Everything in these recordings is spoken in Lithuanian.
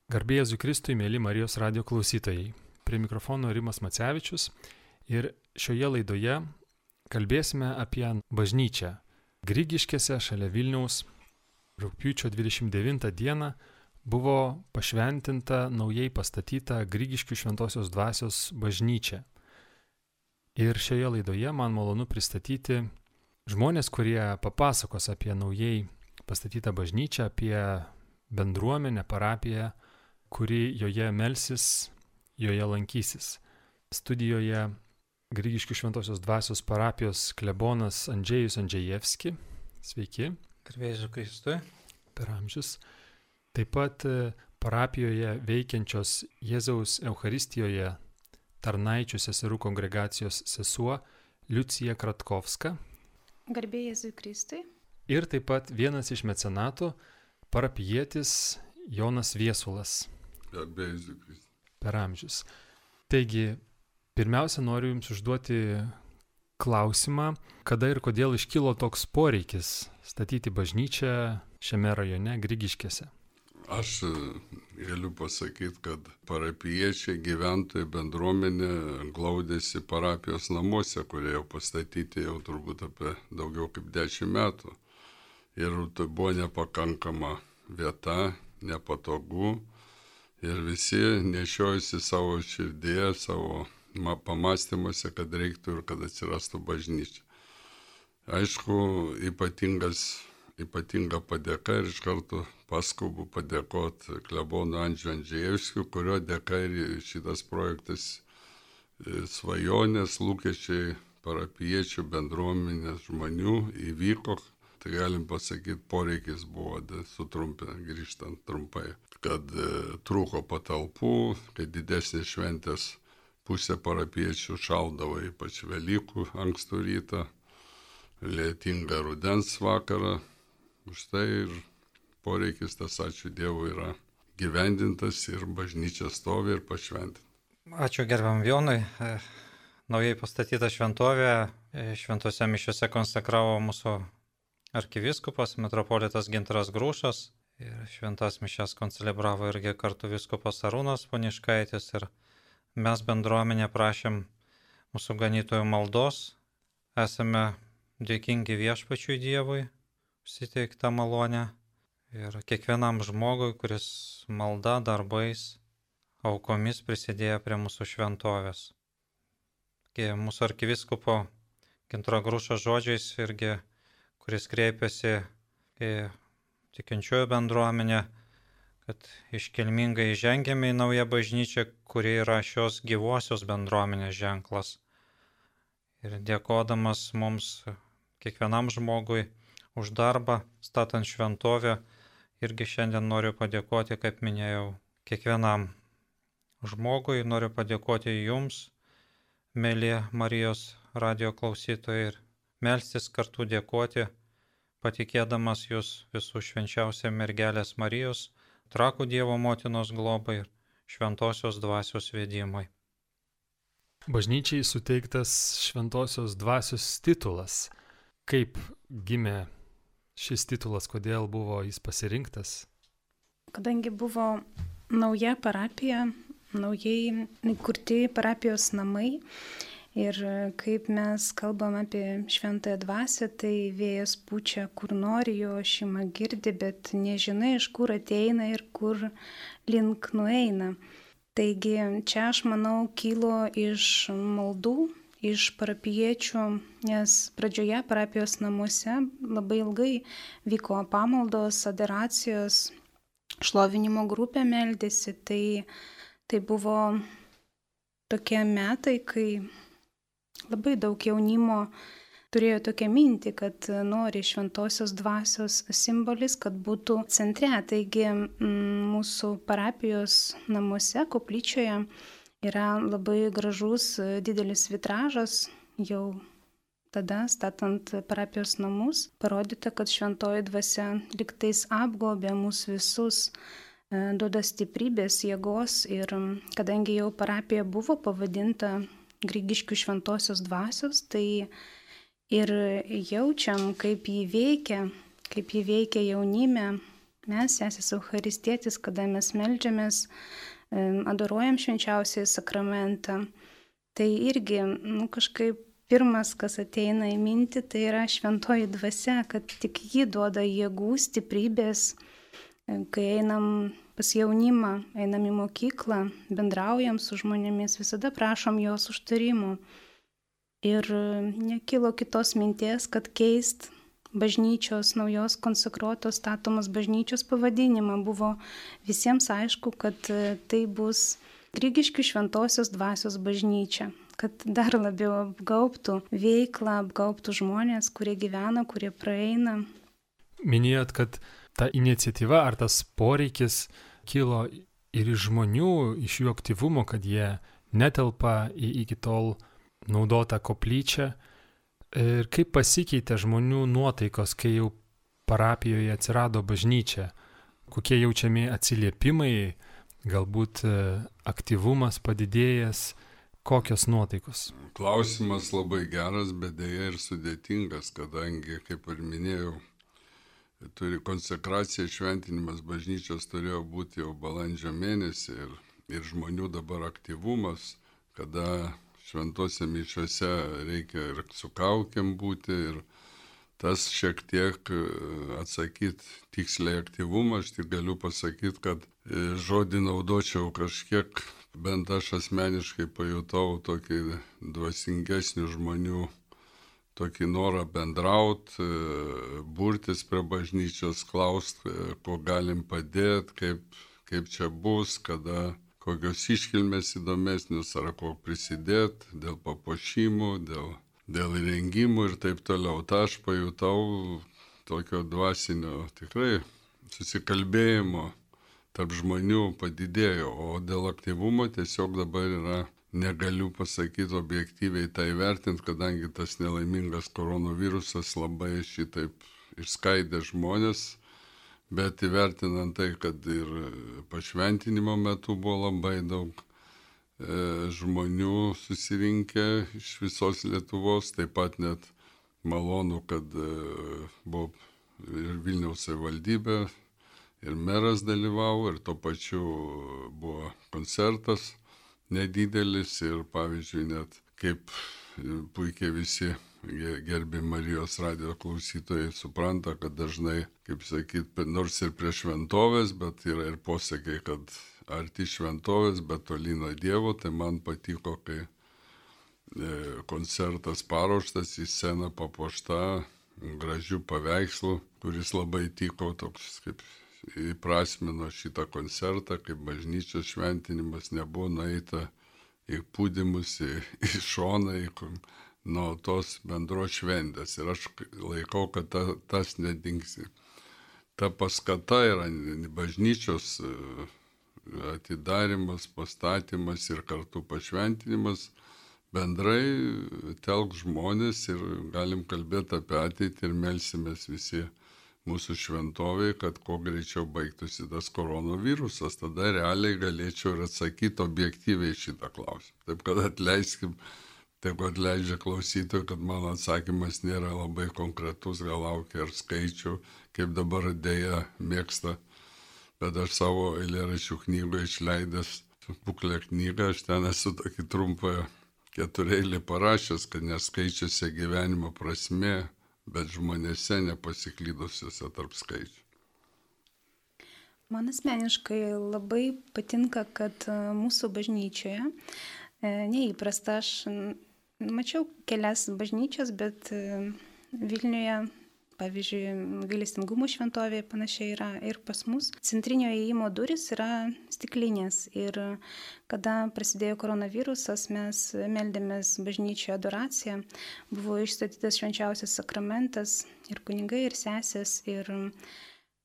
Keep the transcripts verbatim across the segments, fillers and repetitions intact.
Garbė Jėzui Kristui, mėly Marijos radijo klausytojai. Prie mikrofono Rimas Macevičius ir šioje laidoje kalbėsime apie bažnyčią. Grigiškėse šalia Vilniaus rugpjūčio dvidešimt devintą dieną buvo pašventinta naujai pastatyta Grigiškių Šventosios Dvasios bažnyčia. Ir šioje laidoje man malonu pristatyti žmonės, kurie papasakos apie naujai pastatytą bažnyčią, apie bendruomenę, parapiją, kuri joje melsis, joje lankysis. Studijoje Grigiškių Šventosios Dvasios parapijos klebonas Andžejus Andžejevski. Sveiki. Garbė Jėzui Kristui. Per amžius. Taip pat parapijoje veikiančios Jėzaus Eucharistijoje tarnaičių seserų kongregacijos sesuo Liucija Kratkovska. Garbė Jėzui Kristui. Ir taip pat vienas iš mecenatų, parapijietis Jonas Viesulas. Garbė Jėzui Kristui. Per amžius. Taigi, pirmiausia, noriu Jums užduoti klausimą, kada ir kodėl iškilo toks poreikis statyti bažnyčią šiame rajone Grigiškėse. Aš galiu pasakyti, kad parapijiečiai, gyventojai, bendruomenė glaudėsi parapijos namuose, kurie jau pastatyti jau turbūt apie daugiau kaip dešimt metų. Ir tai buvo nepakankama vieta, nepatogu. Ir visi nešiojasi savo širdėje, savo pamastymuose, kad reiktų ir kad atsirastų bažnyčia. Aišku, ypatingas, ypatinga padėka ir iš karto paskubu padėkoti klebonu Andžiui Andžejevskiu, kurio dėka ir šitas projektas svajonės, lūkesčiai parapijiečių, bendruomenės žmonių įvyko. Tai galim pasakyti, poreikis buvo, sutrumpinant, grįžtant trumpai, kad e, trūko patalpų, kad didesnės šventės pusė parapiečių šaldavo, ypač Velykų ankstų rytą, lietingą rudens vakarą. Už tai ir poreikis, tas ačiū Dievui, yra gyvendintas ir bažnyčia stovi ir pašventinta. Ačiū gerbiam Jonui. Naujai pastatyta šventovė, šventose mišiose konsekravo mūsų arkivyskupas, metropolitas Gintaras Grušas, ir šventas mišias koncelebravo irgi kartu vyskupas Arūnas Poniškaitis, ir mes bendruomenė prašėm mūsų ganytojų maldos. Esame dėkingi Viešpačiui Dievui, suteiktą malonę, ir kiekvienam žmogui, kuris malda, darbais, aukomis prisidėjo prie mūsų šventovės. Mūsų arkivyskupo Gintaro Grušo žodžiais irgi, kuris kreipiasi į tikinčiųjų bendruomenę, kad iškilmingai žengėme į naują bažnyčią, kuri yra šios gyvosios bendruomenės ženklas. Ir dėkodamas mums, kiekvienam žmogui, už darbą, statant šventovę, irgi šiandien noriu padėkoti, kaip minėjau, kiekvienam žmogui, noriu padėkoti jums, mėly Marijos radijo klausytojai, ir melstis kartu dėkoti, patikėdamas jūs visų švenčiausią mergelės Marijos, Trakų Dievo motinos globai ir Šventosios Dvasios vedimai. Bažnyčiai suteiktas Šventosios Dvasios titulas. Kaip gimė šis titulas, kodėl buvo jis pasirinktas? Kadangi buvo nauja parapija, naujai įkurti parapijos namai, ir kaip mes kalbam apie šventąją dvasią, tai vėjas pučia kur nori, jo šeima girdi, bet nežinai, iš kur ateina ir kur link nueina. Taigi čia, aš manau, kilo iš maldų, iš parapijiečių, nes pradžioje parapijos namuose labai ilgai vyko pamaldos, adoracijos, šlovinimo grupė meldėsi. Tai, tai buvo tokie metai, kai labai daug jaunimo turėjo tokią mintį, kad nori šventosios dvasios simbolis, kad būtų centre. Taigi mūsų parapijos namuose, koplyčioje, yra labai gražus didelis vitražas. Jau tada, statant parapijos namus, parodyta, kad šventoji dvasia liktais apgaubė mus visus, duoda stiprybės, jėgos. Ir kadangi jau parapija buvo pavadinta Grigiškių Šventosios Dvasios, tai ir jaučiam, kaip jį veikia, kaip jį veikia jaunime, mes, sesės Eucharistietis, kada mes meldžiamės, adoruojam švenčiausiąjį sakramentą, tai irgi nu, kažkaip pirmas, kas ateina į mintį, tai yra šventoji dvasia, kad tik ji duoda jėgų, stiprybės, kai einam pas jaunimą, einam į mokyklą, bendraujam su žmonėmis, visada prašom jos užtarimų. Ir nekilo kitos minties, kad keist bažnyčios, naujos konsekruotos statomos bažnyčios pavadinimą. Buvo visiems aišku, kad tai bus Grigiškių šventosios dvasios bažnyčia, kad dar labiau apgaubtų veiklą, apgaubtų žmonės, kurie gyvena, kurie praeina. Minėjot, kad ta iniciatyva ar tas poreikis kilo ir iš žmonių, iš jų aktyvumo, kad jie netelpa į iki tol naudotą koplyčią. Ir kaip pasikeitė žmonių nuotaikos, kai jau parapijoje atsirado bažnyčia? Kokie jaučiami atsiliepimai, galbūt aktyvumas padidėjęs, kokios nuotaikos? Klausimas labai geras, bet dėja ir sudėtingas, kadangi, kaip ir minėjau, turi konsekracija, šventinimas bažnyčios turėjo būti jau balandžio mėnesį ir, ir žmonių dabar aktyvumas, kada šventose mišiose reikia ir su kaukėm būti ir tas šiek tiek atsakyti tiksliai aktyvumą, aš tik galiu pasakyti, kad žodį naudočiau kažkiek, bent aš asmeniškai pajutau tokį dvasingesnių žmonių, tokį norą bendrauti, burtis prie bažnyčios, klausti, ko galim padėti, kaip, kaip čia bus, kada kokios iškilmės įdomesnius, ar ko prisidėti dėl papuošimų, dėl, dėl įrengimų ir taip toliau. Ta aš pajutau tokio dvasinio tikrai susikalbėjimo tarp žmonių padidėjo, o dėl aktyvumo tiesiog dabar yra, negaliu pasakyti objektyviai tai vertinti, kadangi tas nelaimingas koronavirusas labai šitaip išskaidė žmonės, bet įvertinant tai, kad ir pašventinimo metu buvo labai daug e, žmonių susirinkę iš visos Lietuvos, taip pat net malonu, kad e, buvo ir Vilniaus savivaldybė, ir meras dalyvavo, ir tuo pačiu buvo koncertas nedidelis ir pavyzdžiui net kaip puikiai visi gerbi Marijos radijo klausytojai supranta, kad dažnai, kaip sakyt, nors ir prie šventovės, bet yra ir posakiai, kad arti šventovės, bet toli nuo Dievo, tai man patiko, kai koncertas paruoštas, į sceną papuošta gražių paveikslų, kuris labai tiko, toks kaip įprasmino šitą koncertą, kaip bažnyčios šventinimas, nebuvo nueita į pūdymus, į, į šoną, į, nuo tos bendros šventės. Ir aš laikau, kad ta, tas nedingsi. Ta paskata yra bažnyčios atidarimas, pastatymas ir kartu pašventinimas. Bendrai telk žmonės ir galim kalbėti apie ateitį ir melsimės visi mūsų šventovėje, kad kuo greičiau baigtųsi tas koronavirusas, tada realiai galėčiau ir atsakyti objektyviai šitą klausimą. Taip kad atleiskim, taip kad leidžia klausytojų, kad mano atsakymas nėra labai konkretus, gal laukia ir skaičių, kaip dabar dėja mėgsta, bet aš savo eilėraščių knygoje išleidęs buklę knygą, aš ten esu tokį trumpą ketureilį parašęs, kad neskaičiuose gyvenimo prasmė, bet žmonėse nepasiklydusiuose tarp skaičių. Man asmeniškai labai patinka, kad mūsų bažnyčioje neįprasta, aš mačiau kelias bažnyčias, bet Vilniuje, pavyzdžiui, Gailestingumo šventovėje panašiai yra ir pas mus. Centrinio įėjimo durys yra stiklinės ir kada prasidėjo koronavirusas, mes meldėmės bažnyčioje adoraciją, buvo išstatytas švenčiausias sakramentas ir kunigai, ir sesės, ir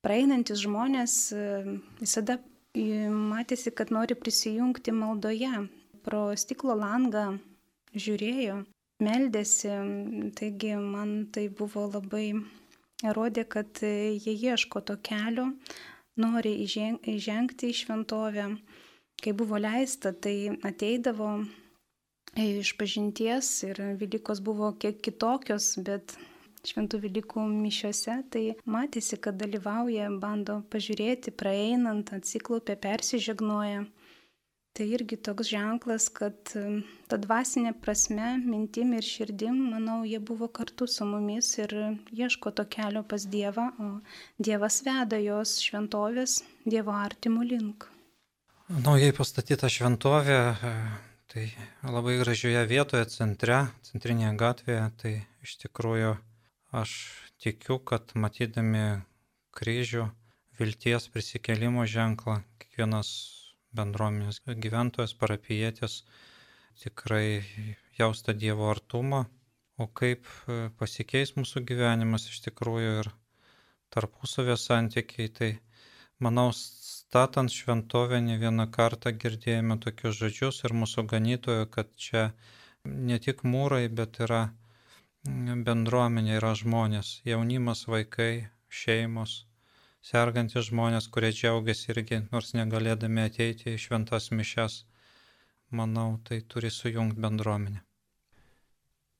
praeinantis žmonės visada matėsi, kad nori prisijungti maldoje. Pro stiklo langą žiūrėjo, meldėsi, taigi man tai buvo labai rodė, kad jie ieško to kelio, nori įžengti į šventovę. Kai buvo leista, tai ateidavo iš pažinties ir Velykos buvo kiek kitokios, bet Šventų Velykų mišiose, tai matėsi, kad dalyvauja, bando pažiūrėti, praeinant, atsiklaupia, persižegnoja. Tai irgi toks ženklas, kad ta dvasinė prasme, mintim ir širdim, manau, jie buvo kartu su mumis ir ieško to kelio pas Dievą, o Dievas veda jos šventovės Dievo artimų link. Naujai pastatyta šventovė, tai labai gražioje vietoje, centre, centrinėje gatvėje, tai iš tikrųjų aš tikiu, kad matydami kryžių, vilties prisikėlimo ženklą, kiekvienas bendruomenės gyventojas, parapijietis tikrai jausta Dievo artumą, o kaip pasikeis mūsų gyvenimas iš tikrųjų ir tarpusavio santykiai, tai manau, statant šventovę ne vieną kartą girdėjome tokius žodžius ir mūsų ganytojo, kad čia ne tik mūrai, bet yra bendruomenė, yra žmonės, jaunimas, vaikai, šeimos, sergantis žmonės, kurie džiaugiasi irgi, nors negalėdami ateiti į šventas mišias. Manau, tai turi sujungti bendruomenę.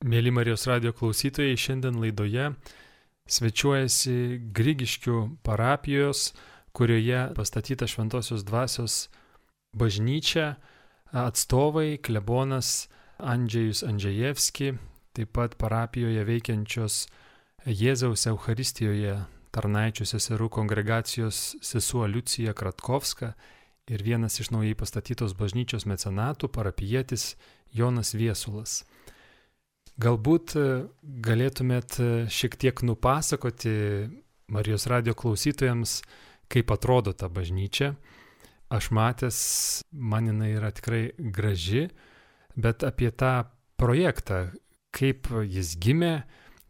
Mėly Marijos radijo klausytojai, šiandien laidoje svečiuojasi Grigiškių parapijos, kurioje pastatyta Šventosios dvasios bažnyčia, atstovai klebonas Andžejus Andžejevski, taip pat parapijoje veikiančios Jėzaus Eucharistijoje tarnaičių seserų kongregacijos sesuo Liucija Kratkovska ir vienas iš naujai pastatytos bažnyčios mecenatų parapijietis Jonas Viesulas. Galbūt galėtumėt šiek tiek nupasakoti Marijos radijo klausytojams, kaip atrodo ta bažnyčia. Aš matęs, man jinai yra tikrai graži, bet apie tą projektą, kaip jis gimė,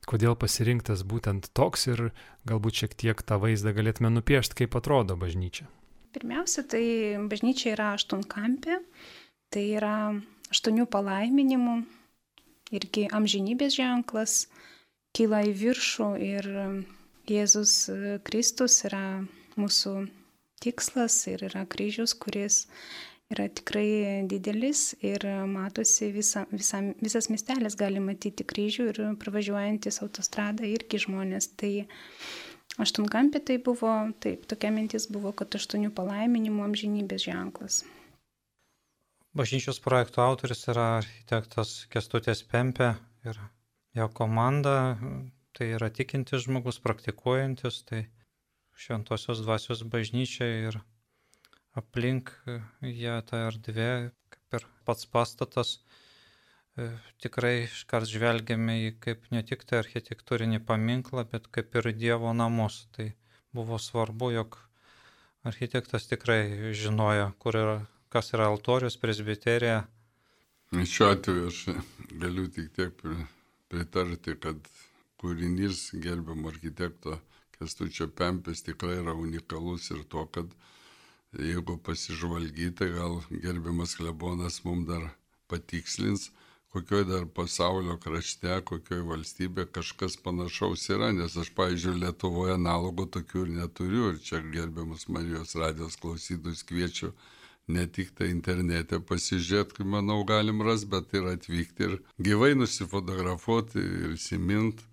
kodėl pasirinktas būtent toks ir galbūt šiek tiek tą vaizdą galėtume nupiešti, kaip atrodo bažnyčia. Pirmiausia, tai bažnyčia yra aštuonkampė, tai yra aštuonių palaiminimų, irgi amžinybės ženklas, kyla į viršų ir Jėzus Kristus yra mūsų tikslas ir yra kryžius, kuris yra tikrai didelis ir matosi visa, visa, visas miestelis gali matyti kryžių ir pravažiuojantis autostradą irgi žmonės. Tai aštuonkampė tai buvo, taip, tokia mintis buvo, kad aštuonių palaiminimų amžinybės ženklas. Bažnyčios projekto autoris yra architektas Kęstutis Pempė ir jo komanda, tai yra tikintis žmogus, praktikuojantis, tai Šventosios dvasios bažnyčia ir aplink ją tą erdvę, kaip ir pats pastatas, tikrai iškart žvelgiame į kaip ne tik tai architektūrinį paminklą, bet kaip ir Dievo namus. Tai buvo svarbu, jog architektas tikrai žinojo, kur yra, kas yra altorius, presbiterija. Šiuo atveju aš galiu tik tiek pritarti, kad kūrinys gerbiamo architekto Kęstučio Pempės tikrai yra unikalus ir to, kad jeigu pasižvalgyti, gal gerbiamas klebonas mums dar patikslins, kokioj dar pasaulio krašte, kokioj valstybė kažkas panašaus yra, nes aš, pavyzdžiui, Lietuvoje analogų tokių ir neturiu, ir čia gerbiamus Marijos radijos klausytojus kviečiu ne tik tai internete pasižiūrėti, kaip manau galim rasti, bet ir atvykti ir gyvai nusifotografuoti ir įsiminti.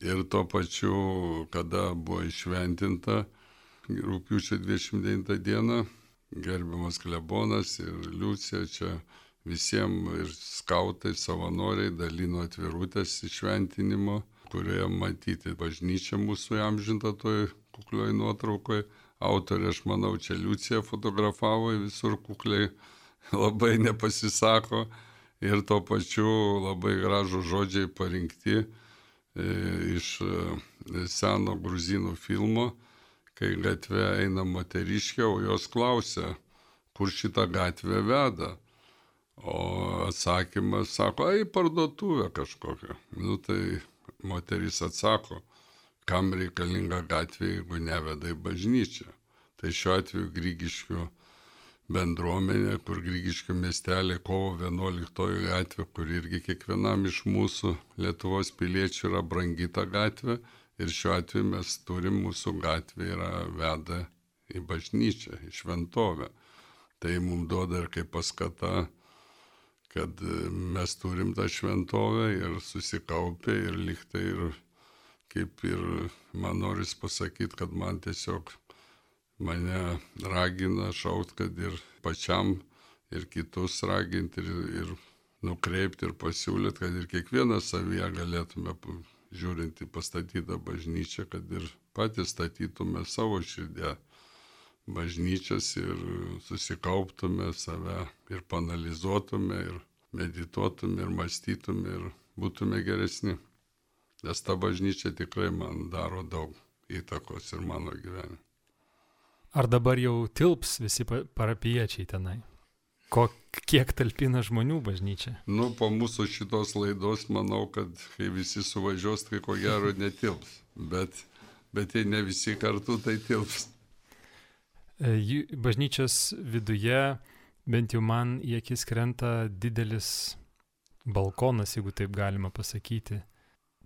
Ir tuo pačiu, kada buvo išventinta rugpjūčio dvidešimt devintą dieną, gerbiamas klebonas ir Liucija čia visiems ir skautai, savanoriai dalino atvirutės išventinimo, kurioje matyti bažnyčia mūsų įamžinta toj kuklioj nuotraukoje. Autorė, aš manau, čia Liucija fotografavo, visur kukliai labai nepasisako ir tuo pačiu labai gražų žodžiai parinkti iš seno gruzinų filmo, kai gatve eina moteriškė, o jos klausia, kur šitą gatvę veda. O atsakymas sako, ai, parduotuvė kažkokia. Nu tai moteris atsako, kam reikalinga gatvė, jeigu neveda į bažnyčią. Tai šiuo atveju Grigiškių bendruomenė, kur Grigiškių miestelė kovo vienuoliktoji gatvė, kur irgi kiekvienam iš mūsų Lietuvos piliečių yra brangi ta gatvė. Ir šiuo atveju mes turim, mūsų gatvė yra veda į bažnyčią, į šventovę. Tai mums duoda ir kaip paskata, kad mes turim tą šventovę ir susikaupę ir liktai ir kaip ir man noris pasakyti, kad man tiesiog mane ragina šaukt, kad ir pačiam, ir kitus raginti, ir, ir nukreipti, ir pasiūlyti, kad ir kiekvienas savyje galėtume, žiūrint į pastatytą bažnyčią, kad ir patys statytume savo širdę bažnyčias ir susikauptume save ir panalizuotume, ir medituotume, ir mąstytume, ir būtume geresni. Nes ta bažnyčia tikrai man daro daug įtakos ir mano gyvenime. Ar dabar jau tilps visi parapijiečiai tenai? Ko, kiek talpina žmonių bažnyčia? Nu, po mūsų šitos laidos manau, kad kai visi suvažiuos, tai ko gero netilps. Bet, bet jei ne visi kartu, tai tilps. Bažnyčios viduje, bent jau man į akis krenta didelis balkonas, jeigu taip galima pasakyti.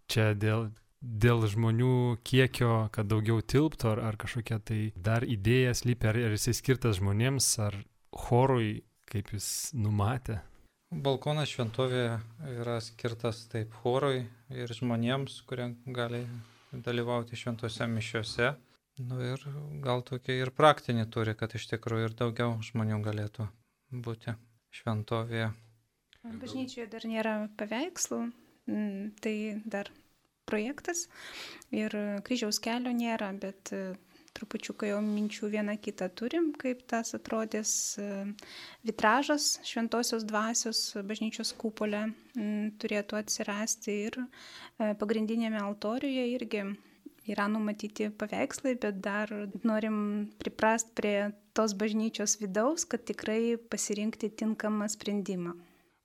Čia dėl, dėl žmonių kiekio, kad daugiau tilptų, ar, ar kažkokia tai dar idėja slypi, ar, ar jisai skirtas žmonėms, ar chorui, kaip jis numatė? Balkonas šventovėje yra skirtas taip chorui ir žmonėms, kurie gali dalyvauti šventose mišiose. Nu ir gal tokia ir praktinį turi, kad iš tikrųjų ir daugiau žmonių galėtų būti šventovėje. Bažnyčioje dar nėra paveikslų, tai dar projektas ir kryžiaus kelio nėra, bet trupučiuką jau minčių vieną kitą turim, kaip tas atrodys vitražas šventosios dvasios bažnyčios kupole turėtų atsirasti ir pagrindinėme altoriuje irgi yra numatyti paveikslai, bet dar norim priprast prie tos bažnyčios vidaus, kad tikrai pasirinkti tinkamą sprendimą.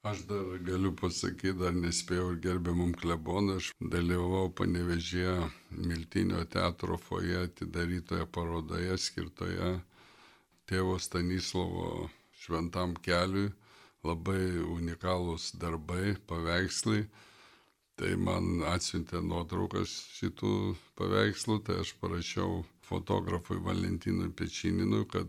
Aš dar galiu pasakyti, dar nespėjau ir gerbiamam klebonui, aš dalyvavau Panevėžyje Miltinio teatro foje atidarytoje parodoje skirtoje tėvo Stanislovo šventam keliui, labai unikalūs darbai, paveikslai. Tai man atsiuntė nuotraukas šitų paveikslų, tai aš parašiau fotografui Valentinui Pečyninui, kad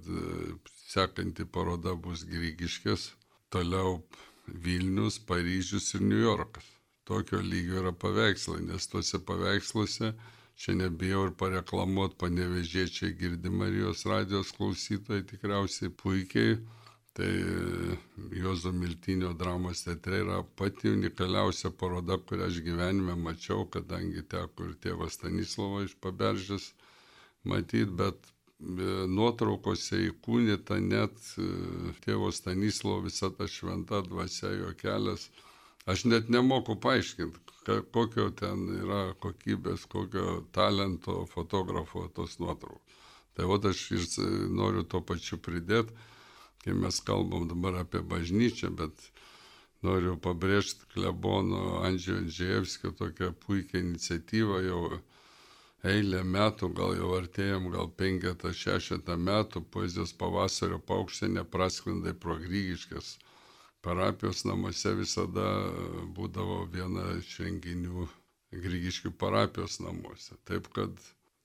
sekanti paroda bus Grigiškės, toliau Vilnius, Paryžius ir Niujorkas. Tokio lygio yra paveikslai, nes tuose paveiksluose, čia nebijau ir pareklamuoti, panevėžiečiai girdi Marijos radijos klausytojai tikriausiai puikiai. Tai Juozo Miltinio dramos teatre yra pati unikaliausia paroda, kurią aš gyvenime mačiau, kadangi teko ir tėvą Stanislovą iš Paberžės matyti, bet nuotraukose įkūnyta net tėvo Stanislovo visa ta šventa dvasia, jo kelias. Aš net nemoku paaiškinti, kokio ten yra kokybės, kokio talento fotografo tos nuotraukos. Tai vat aš ir noriu to pačiu pridėti, kai mes kalbam dabar apie bažnyčią, bet noriu pabrėžti klebono Andžejo Andžejevskio tokią puikią iniciatyvą jau eilę metų, gal jau artėjom, gal penketą, šešetą metų, poezijos pavasario paukštė neprasklindai pro Grigiškės. Parapijos namuose visada būdavo viena iš renginių Grigiškių parapijos namuose. Taip kad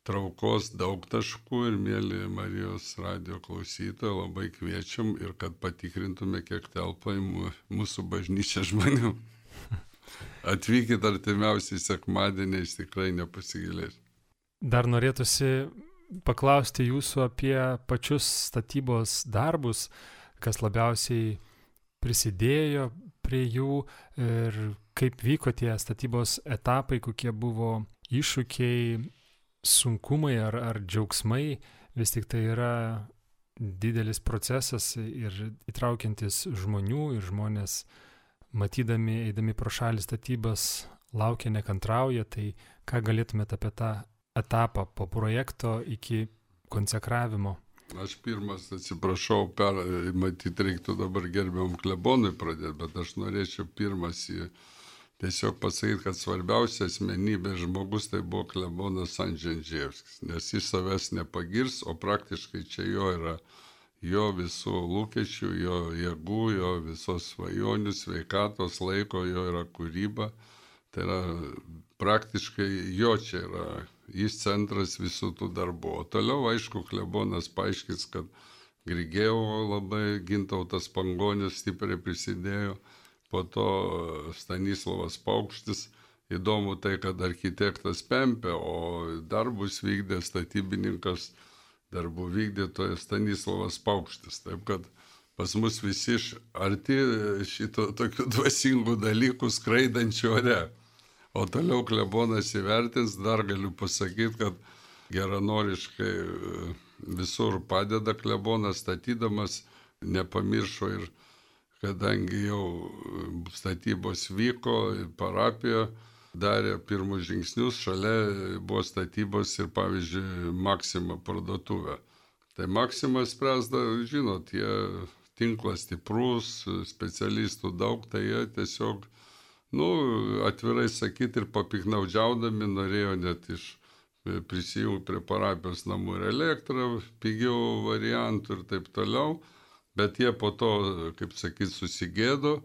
traukos daug taškų ir mėly Marijos radijo klausytojai, labai kviečiam ir kad patikrintume, kiek telpa į mūsų bažnyčią žmonių. Atvykit artimiausiai sekmadieniais, tikrai nepasigilės. Dar norėtųsi paklausti jūsų apie pačius statybos darbus, kas labiausiai prisidėjo prie jų ir kaip vyko tie statybos etapai, kokie buvo iššūkiai, sunkumai ar, ar džiaugsmai. Vis tik tai yra didelis procesas ir įtraukiantis žmonių ir žmonės, matydami, eidami pro šalį statybas, laukia, nekantrauja. Tai ką galėtumėte apie tą etapą po projekto iki konsekravimo? Aš pirmas atsiprašau, per, matyt, reiktų dabar gerbiamam klebonui pradėti, bet aš norėčiau pirmas į tiesiog pasakyti, kad svarbiausia asmenybė žmogus tai buvo klebonas Andžejus Andžejevskis, nes jis savęs nepagirs, o praktiškai čia jo yra jo visų lūkesčių, jo jėgų, jo visos svajonių, sveikatos, laiko, jo yra kūryba. Tai yra praktiškai jo čia yra, jis centras visų tų darbų. O toliau, aišku, klebonas paaiškins, kad Grigėjevo labai Gintautas Pangonis stipriai prisidėjo, po to Stanislovas Paukštis įdomu tai, kad architektas Pempė, o darbus vykdė statybininkas, darbų vykdytojas Stanislavas Paukštis. Taip kad pas mus visi arti šito tokių dvasingų dalykų skraidančių ore. O toliau klebonas įvertins, dar galiu pasakyti, kad geranoriškai visur padeda klebonas statydamas, nepamiršo ir kadangi jau statybos vyko, parapija darė pirmus žingsnius, šalia buvo statybos ir pavyzdžiui Maxima parduotuvė. Tai Maxima spręsda, žinot, jie tinklas stiprus, specialistų daug, tai jie tiesiog, nu, atvirai sakyti, ir papiknaudžiaudami norėjo net iš prisijungti prie parapijos namų ir elektrą, pigiau variantų ir taip toliau, bet jie po to, kaip sakyti, susigėdo.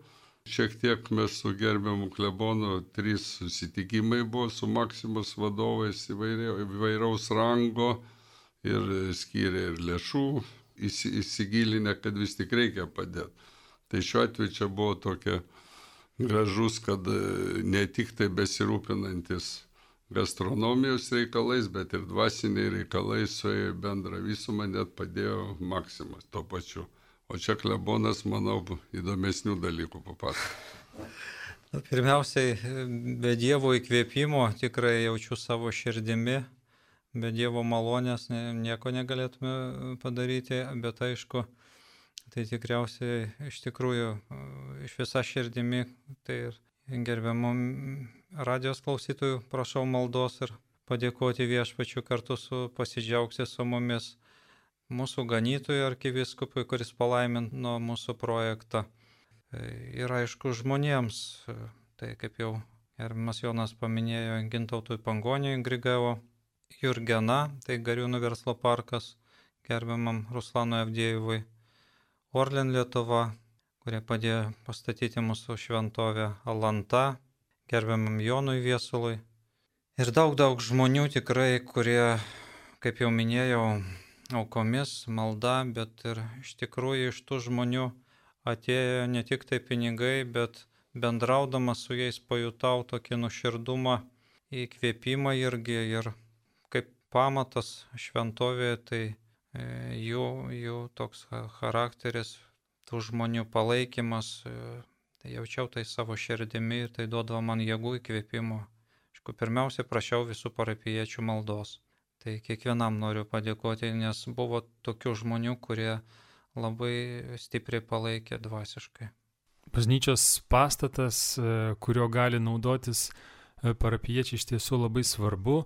Šiek tiek mes su gerbiamu klebonu, trys susitikimai buvo su Maximos vadovais įvairaus rango ir skyrė ir lėšų, įsigilinę, kad vis tik reikia padėti. Tai šiuo atveju čia buvo tokia gražus, kad ne tik tai besirūpinantis gastronomijos reikalais, bet ir dvasiniai reikalai suėjo bendrą visumą, net padėjo Maximas tuo pačiu. O čia klebonas, manau, įdomesnių dalykų papasakos. Pirmiausiai, be Dievo įkvėpimo tikrai jaučiu savo širdimi, be Dievo malonės nieko negalėtume padaryti, bet aišku, tai tikriausiai iš tikrųjų iš visa širdimi, tai ir gerbiamom radijos klausytojų prašau maldos ir padėkoti Viešpačiu kartu su pasidžiaugti su mumis mūsų ganytojui arkivyskupui, kuris palaimino mūsų projektą. Ir aišku žmonėms, tai kaip jau gerbiamas Jonas paminėjo, Gintautui Pangoniui Grigavo, Jurgena, tai Gariūnų verslo parkas, gerbiamam Ruslanui Avdėjevui, Orlen Lietuva, kurie padėjo pastatyti mūsų šventovę, Alanta, gerbiamam Jonui Viesului. Ir daug, daug žmonių tikrai, kurie, kaip jau minėjau, aukomis, malda, bet ir iš tikrųjų iš tų žmonių atėjo ne tik tai pinigai, bet bendraudamas su jais pajutau tokį nuoširdumą, įkvėpimą irgi ir kaip pamatas šventovėje, tai jų, jų toks charakteris, tų žmonių palaikymas, tai jaučiau tai savo širdimi ir tai duodavo man jėgų įkvėpimo. Aišku, pirmiausia, prašiau visų parapijiečių maldos. Tai kiekvienam noriu padėkoti, nes buvo tokių žmonių, kurie labai stipriai palaikė dvasiškai. Bažnyčios pastatas, kurio gali naudotis parapijiečiai, iš tiesų labai svarbu,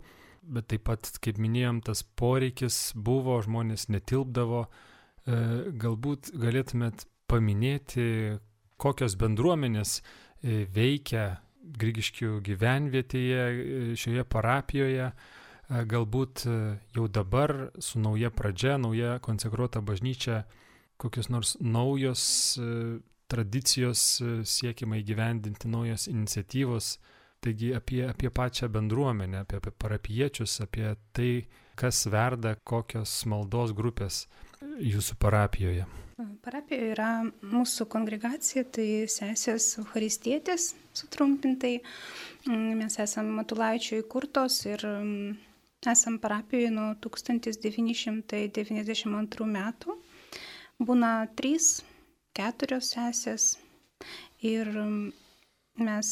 bet taip pat, kaip minėjom, tas poreikis buvo, žmonės netilpdavo. Galbūt galėtumėt paminėti, kokios bendruomenės veikia Grigiškių gyvenvietėje, šioje parapijoje. Galbūt jau dabar su nauja pradžia, nauja konsekruota bažnyčia, kokios nors naujos tradicijos siekiama įgyvendinti, naujos iniciatyvos. Taigi apie, apie pačią bendruomenę, apie, apie parapijiečius, apie tai, kas verda, kokios maldos grupės jūsų parapijoje. Parapijoje yra mūsų kongregacija, tai sesės Eucharistietės sutrumpintai. Mes esame Matulaičio įkurtos ir esam parapijoje nuo tūkstantis devyni šimtai devyniasdešimt antrų metų. Būna trys, keturios sesės ir mes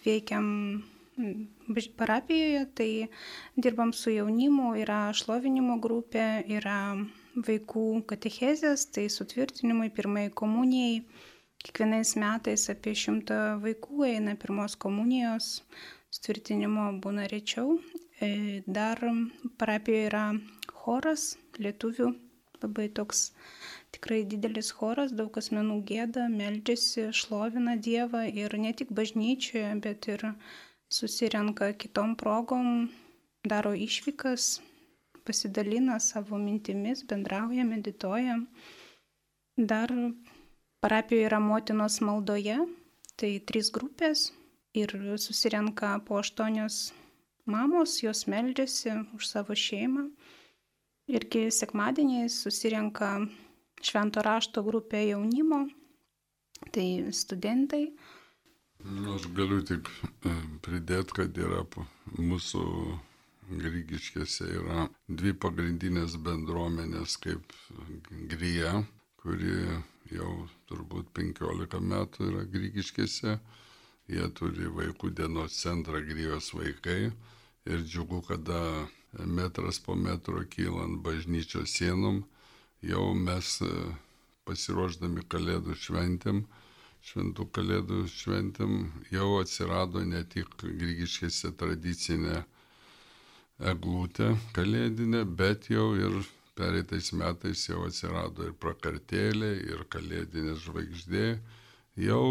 veikiam parapijoje, tai dirbam su jaunimu, yra šlovinimo grupė, yra vaikų katechezės, tai sutvirtinimui, pirmai komunijai. Kiekvienais metais apie šimtą vaikų eina pirmos komunijos, sutvirtinimo būna rečiau. Dar parapijoje yra choras, lietuvių, labai toks tikrai didelis choras, daug asmenų gieda, meldžiasi, šlovina Dievą ir ne tik bažnyčioje, bet ir susirenka kitom progom, daro išvykas, pasidalina savo mintimis, bendrauja, medituoja. Dar parapijoje yra motinos maldoje, tai trys grupės ir susirenka po aštuonios mamos, jos meldžiasi už savo šeimą. Irgi sekmadieniais susirenka švento rašto grupė jaunimo, tai studentai. Nu, aš galiu tik pridėti, kad yra mūsų Grigiškėse yra dvi pagrindinės bendruomenės kaip Grija, kuri jau turbūt penkiolika metų yra Grigiškėse. Jie turi vaikų dienos centrą Grijos vaikai ir džiugu, kada metras po metro kylant bažnyčios sienom, jau mes pasiruošdami Kalėdų šventėm, šventų Kalėdų šventėm, jau atsirado ne tik Grigiškėse tradicinė eglutė kalėdinė, bet jau ir pereitais metais jau atsirado ir prakartėlė, ir kalėdinė žvaigždė, jau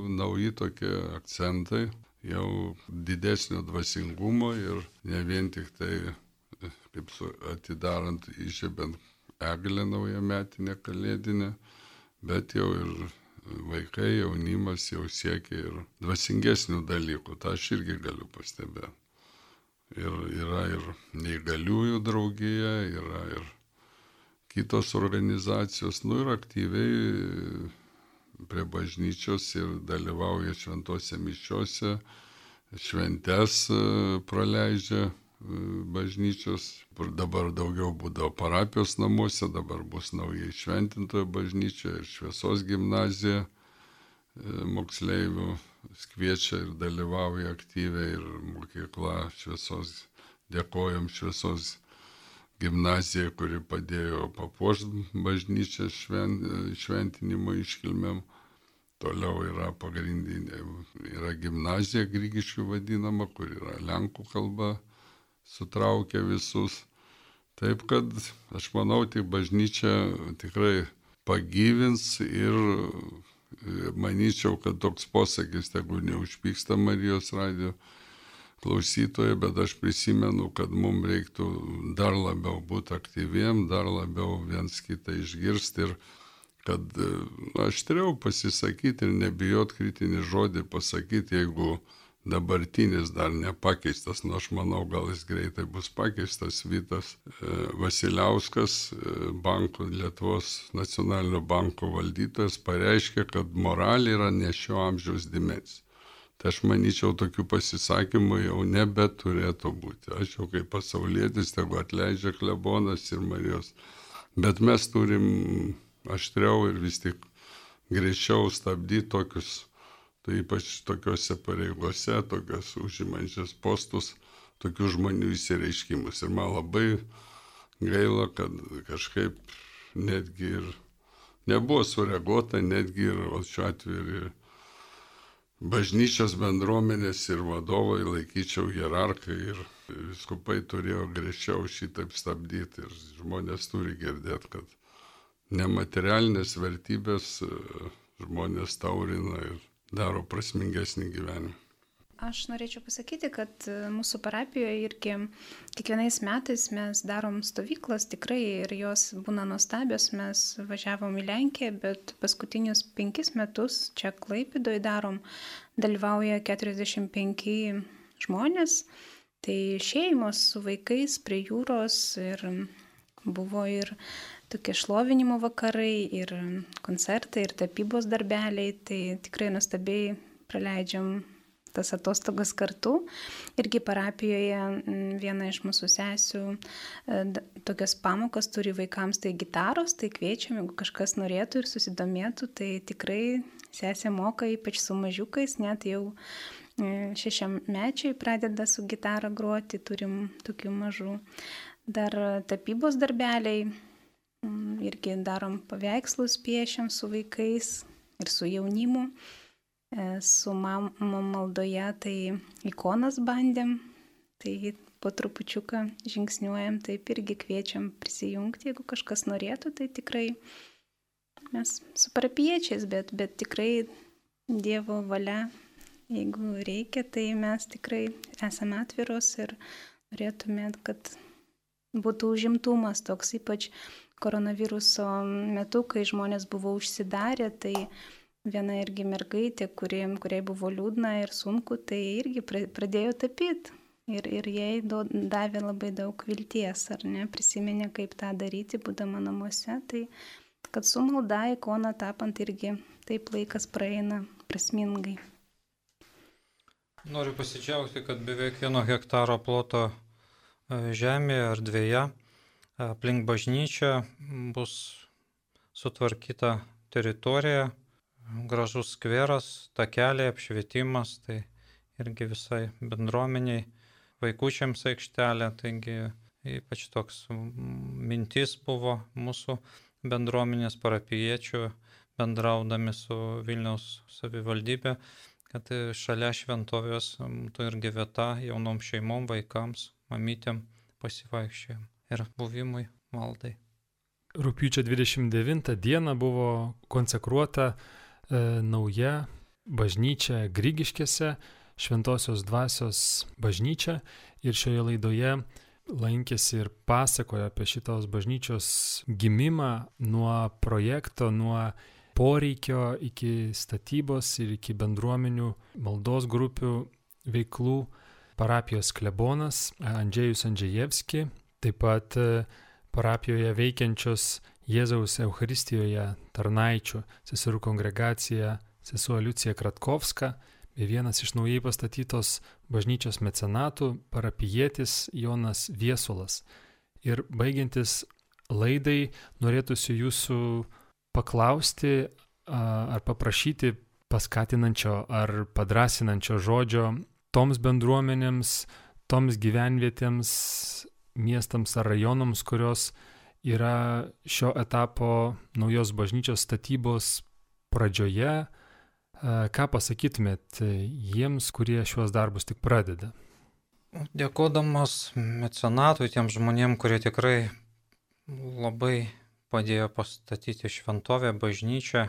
nauji tokie akcentai, jau didesnio dvasingumo ir ne vien tik tai, kaip su, atidarant, įžiebent eglę naujametinę kalėdinę, bet jau ir vaikai, jaunimas jau siekia ir dvasingesnių dalykų, tą aš irgi galiu pastebėti. Ir yra ir neįgaliųjų draugija, yra ir kitos organizacijos, nu ir aktyviai prie bažnyčios ir dalyvauja šventose mišiose, šventes praleidžia bažnyčios. Dabar daugiau būdavo parapijos namuose, dabar bus naujai šventintojo bažnyčia ir šviesos gimnazija moksleivių kviečia ir dalyvauja aktyviai ir mokykla šviesos, dėkojom šviesos gimnazijai, kuri padėjo papuošti bažnyčią švent, šventinimo iškilmėm. Toliau yra pagrindinė, yra gimnazija Grigiškių vadinama, kur yra lenkų kalba, sutraukia visus. Taip kad aš manau, tik bažnyčia tikrai pagyvins ir manyčiau, kad toks posakis, tegu neužpyksta Marijos radijo klausytojai, bet aš prisimenu, kad mums reiktų dar labiau būti aktyviem, dar labiau viens kitą išgirsti ir kad aštriau pasisakyti ir nebijot kritinį žodį pasakyti, jeigu dabartinis dar nepakeistas, nu aš manau, gal jis greitai bus pakeistas, Vytas Vasiliauskas, banko, Lietuvos nacionalinio banko valdytojas, pareiškė, kad moralė yra ne šio amžiaus dimensija. Tai aš manyčiau, tokių pasisakymų jau nebeturėtų būti. Aš jau kaip pasaulietis, tegu atleidžia klebonas ir Marijos. Bet mes turim aštriau ir vis tik greičiau stabdyti tokius, tai ypač tokiuose pareigose, tokios užimančias postus, tokių žmonių įsireiškimus. Ir man labai gaila, kad kažkaip netgi ir nebuvo sureaguota, netgi ir šiuo atveju ir bažnyčios bendruomenės ir vadovai, laikyčiau hierarchai ir vyskupai turėjo griežčiau šitaip stabdyti. Ir žmonės turi girdėti, kad nematerialinės vertybės žmonės taurina ir daro prasmingesnį gyvenimą. Aš norėčiau pasakyti, kad mūsų parapijoje irgi kiekvienais metais mes darom stovyklas tikrai ir jos būna nuostabios. Mes važiavom į Lenkiją, bet paskutinius penkis metus čia Klaipėdoje darom, dalyvauja keturiasdešimt penki žmonės. Tai šeimos su vaikais prie jūros ir buvo ir tokie šlovinimo vakarai, ir koncertai, ir tapybos darbeliai. Tai tikrai nuostabiai praleidžiam tas atostogas kartu. Irgi parapijoje viena iš mūsų sesių tokias pamokas turi vaikams, tai gitaros, tai kviečiam, jeigu kažkas norėtų ir susidomėtų, tai tikrai sesė moka, ypač su mažiukais, net jau šešiamečiai pradeda su gitara groti, turim tokių mažų. Dar tapybos darbeliai, irgi darom paveikslus, piešiam su vaikais ir su jaunimu. Su mama maldoje tai ikonas bandėm, tai po trupučiuką žingsniuojam, taip irgi kviečiam prisijungti, jeigu kažkas norėtų, tai tikrai mes su parapiečiais, bet, bet tikrai Dievo valia, jeigu reikia, tai mes tikrai esame atviros ir norėtumėt, kad būtų užimtumas toks, ypač koronaviruso metu, kai žmonės buvo užsidarę, tai viena irgi mergaitė, kuri, kuriai buvo liūdna ir sunku, tai irgi pradėjo tapyti. Ir, ir jai davė labai daug vilties, ar ne, prisiminė, kaip tą daryti, būdama namuose. Tai kad su malda ikoną tapant irgi taip laikas praeina prasmingai. Noriu pasidžiaugti, kad beveik vieno hektaro ploto žemėje ar dvieje aplink bažnyčią bus sutvarkyta teritorija, gražus skveras, takeliai, apšvietimas, tai irgi visai bendruomeniai, vaikučiams aikštelė, taigi ypač toks mintis buvo mūsų bendruomenės parapijiečių bendraudami su Vilniaus savivaldybė, kad šalia šventovės būtų irgi vieta jaunom šeimom, vaikams, mamytėm pasivaikščiojim ir buvimui maldai. Rugpjūčio dvidešimt devintą dieną buvo konsekruota e, nauja bažnyčia Grigiškėse, Šventosios dvasios bažnyčia, ir šioje laidoje lankėsi ir pasakojo apie šitos bažnyčios gimimą nuo projekto, nuo poreikio iki statybos ir iki bendruomenių maldos grupių veiklų parapijos klebonas Andžejus Andžejevski, taip pat parapijoje veikiančios Jėzaus Eucharistijoje tarnaičių seserų kongregacija sesuo Liucija Kratkovska, bei vienas iš naujai pastatytos bažnyčios mecenatų parapijietis Jonas Viesulas. Ir baigiantis laidai norėtųsi jūsų paklausti ar paprašyti paskatinančio ar padrasinančio žodžio toms bendruomenėms, toms gyvenvietėms, miestams ar rajonams, kurios yra šio etapo naujos bažnyčios statybos pradžioje. Ką pasakytumėt jiems, kurie šiuos darbus tik pradeda? Dėkodamas mecenatui, tiem žmonėm, kurie tikrai labai padėjo pastatyti šventovę, bažnyčią,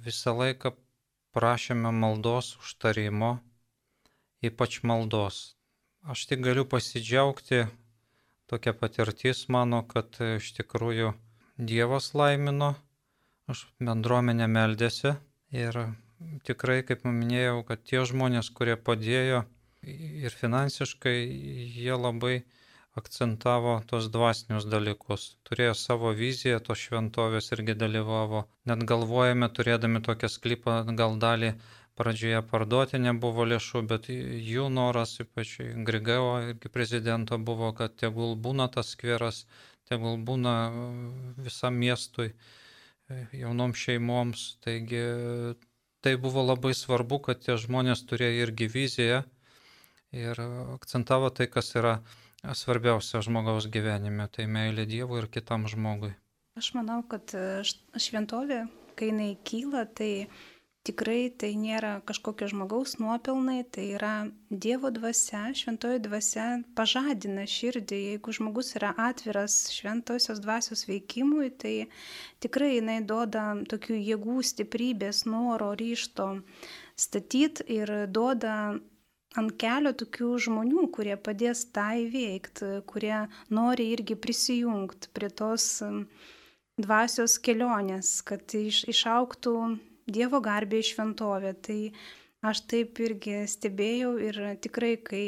visą laiką prašėme maldos užtarimo, ypač maldos. Aš tik galiu pasidžiaugti, tokia patirtis mano, kad iš tikrųjų Dievas laimino, aš bendruomenė meldėsi ir tikrai, kaip minėjau, kad tie žmonės, kurie padėjo ir finansiškai, jie labai akcentavo tos dvasinius dalykus. Turėjo savo viziją, tos šventovės irgi dalyvavo. Net galvojame, turėdami tokią sklypą, gal dalį pradžioje parduoti nebuvo lėšų, bet jų noras, ypač Grigeo irgi prezidento, buvo, kad tegul būna tas skveras, tegul būna visam miestui, jaunom šeimoms. Taigi tai buvo labai svarbu, kad tie žmonės turėjo irgi viziją ir akcentavo tai, kas yra svarbiausia žmogaus gyvenime, tai meilė Dievui ir kitam žmogui. Aš manau, kad šventovė, kai jinai kyla, tai tikrai tai nėra kažkokio žmogaus nuopelnai, tai yra Dievo dvasia, šventoji dvasia pažadina širdį. Jeigu žmogus yra atviras šventosios dvasios veikimui, tai tikrai jinai duoda tokių jėgų, stiprybės, noro, ryžto statyti ir duoda ant kelio tokių žmonių, kurie padės tą įveikti, kurie nori irgi prisijungti prie tos dvasios kelionės, kad iš, išauktų Dievo garbė į šventovę. Tai aš taip irgi stebėjau ir tikrai, kai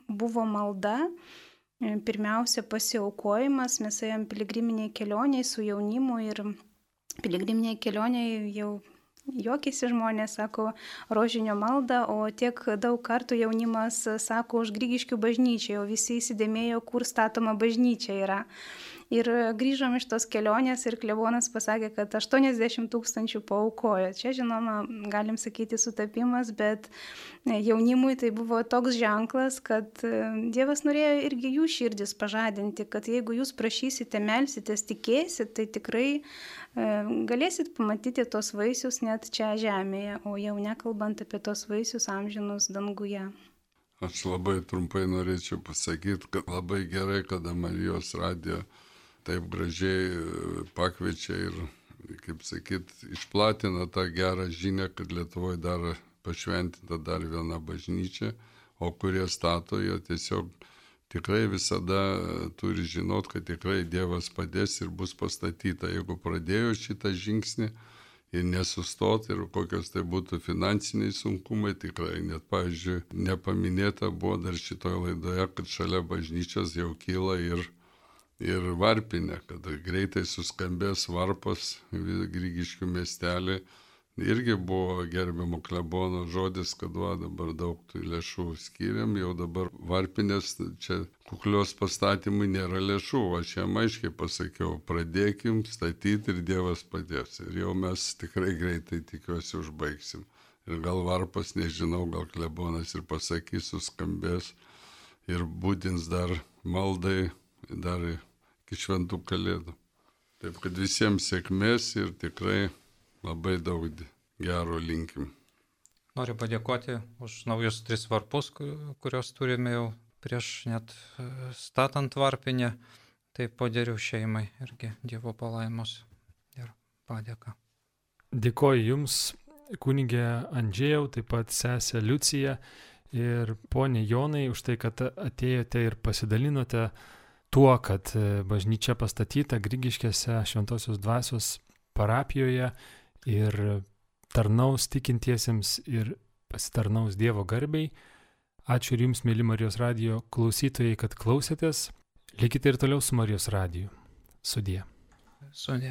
buvo malda, pirmiausia pasiaukojimas, mes ėjom piligriminiai kelioniai su jaunimu ir piligriminiai kelioniai jau juokėsi žmonės, sako rožinio maldą, o tiek daug kartų jaunimas sako už Grigiškių bažnyčią, o visi įsidėmėjo, kur statoma bažnyčia yra. Ir grįžom iš tos kelionės ir klebonas pasakė, kad aštuoniasdešimt tūkstančių paaukojo. Čia, žinoma, galim sakyti sutapimas, bet jaunimui tai buvo toks ženklas, kad Dievas norėjo irgi jų širdis pažadinti, kad jeigu jūs prašysite, melsitės, tikėsit, tai tikrai galėsit pamatyti tos vaisius net čia žemėje, o jau nekalbant apie tos vaisius amžinus danguje. Aš labai trumpai norėčiau pasakyti, kad labai gerai, kada Marijos radijo taip gražiai pakviečia ir, kaip sakyt, išplatina tą gerą žinią, kad Lietuvoje dar pašventinta dar viena bažnyčia, o kurie stato, jie tiesiog tikrai visada turi žinot, kad tikrai Dievas padės ir bus pastatyta. Jeigu pradėjo šitą žingsnį ir nesustot, ir kokios tai būtų finansiniai sunkumai, tikrai net, pavyzdžiui, nepaminėta buvo dar šitoje laidoje, kad šalia bažnyčios jau kyla ir ir varpinė, kad greitai suskambės varpas Grigiškių miestelį irgi buvo gerbiamo klebono žodis, kad va dabar daug tų lėšų skiriam, jau dabar varpinės, čia kuklios pastatymui nėra lėšų, aš jam aiškiai pasakiau, pradėkim statyti ir Dievas padės. Ir jau mes tikrai greitai, tikiuosi, užbaigsim. Ir gal varpas, nežinau, gal klebonas ir pasakys, suskambės ir būdins dar maldai, dar iki šventų kalėdų. Taip kad visiems sėkmės ir tikrai labai daug gero linkim. Noriu padėkoti už naujus tris varpus, kuriuos turime jau prieš net statant varpinę. Tai Poderių šeimai irgi Dievo palaimos ir padėka. Dėkoju Jums, kunigė Andžėjau, taip pat sesė Liucija ir ponė Jonai už tai, kad atėjote ir pasidalinote tuo, kad bažnyčia pastatyta Grigiškėse Šventosios Dvasios parapijoje ir tarnaus tikintiesiems ir pasitarnaus Dievo garbei. Ačiū ir Jums, mėly Marijos radijo klausytojai, kad klausėtės. Likite ir toliau su Marijos radiju. Sudie. Sudie.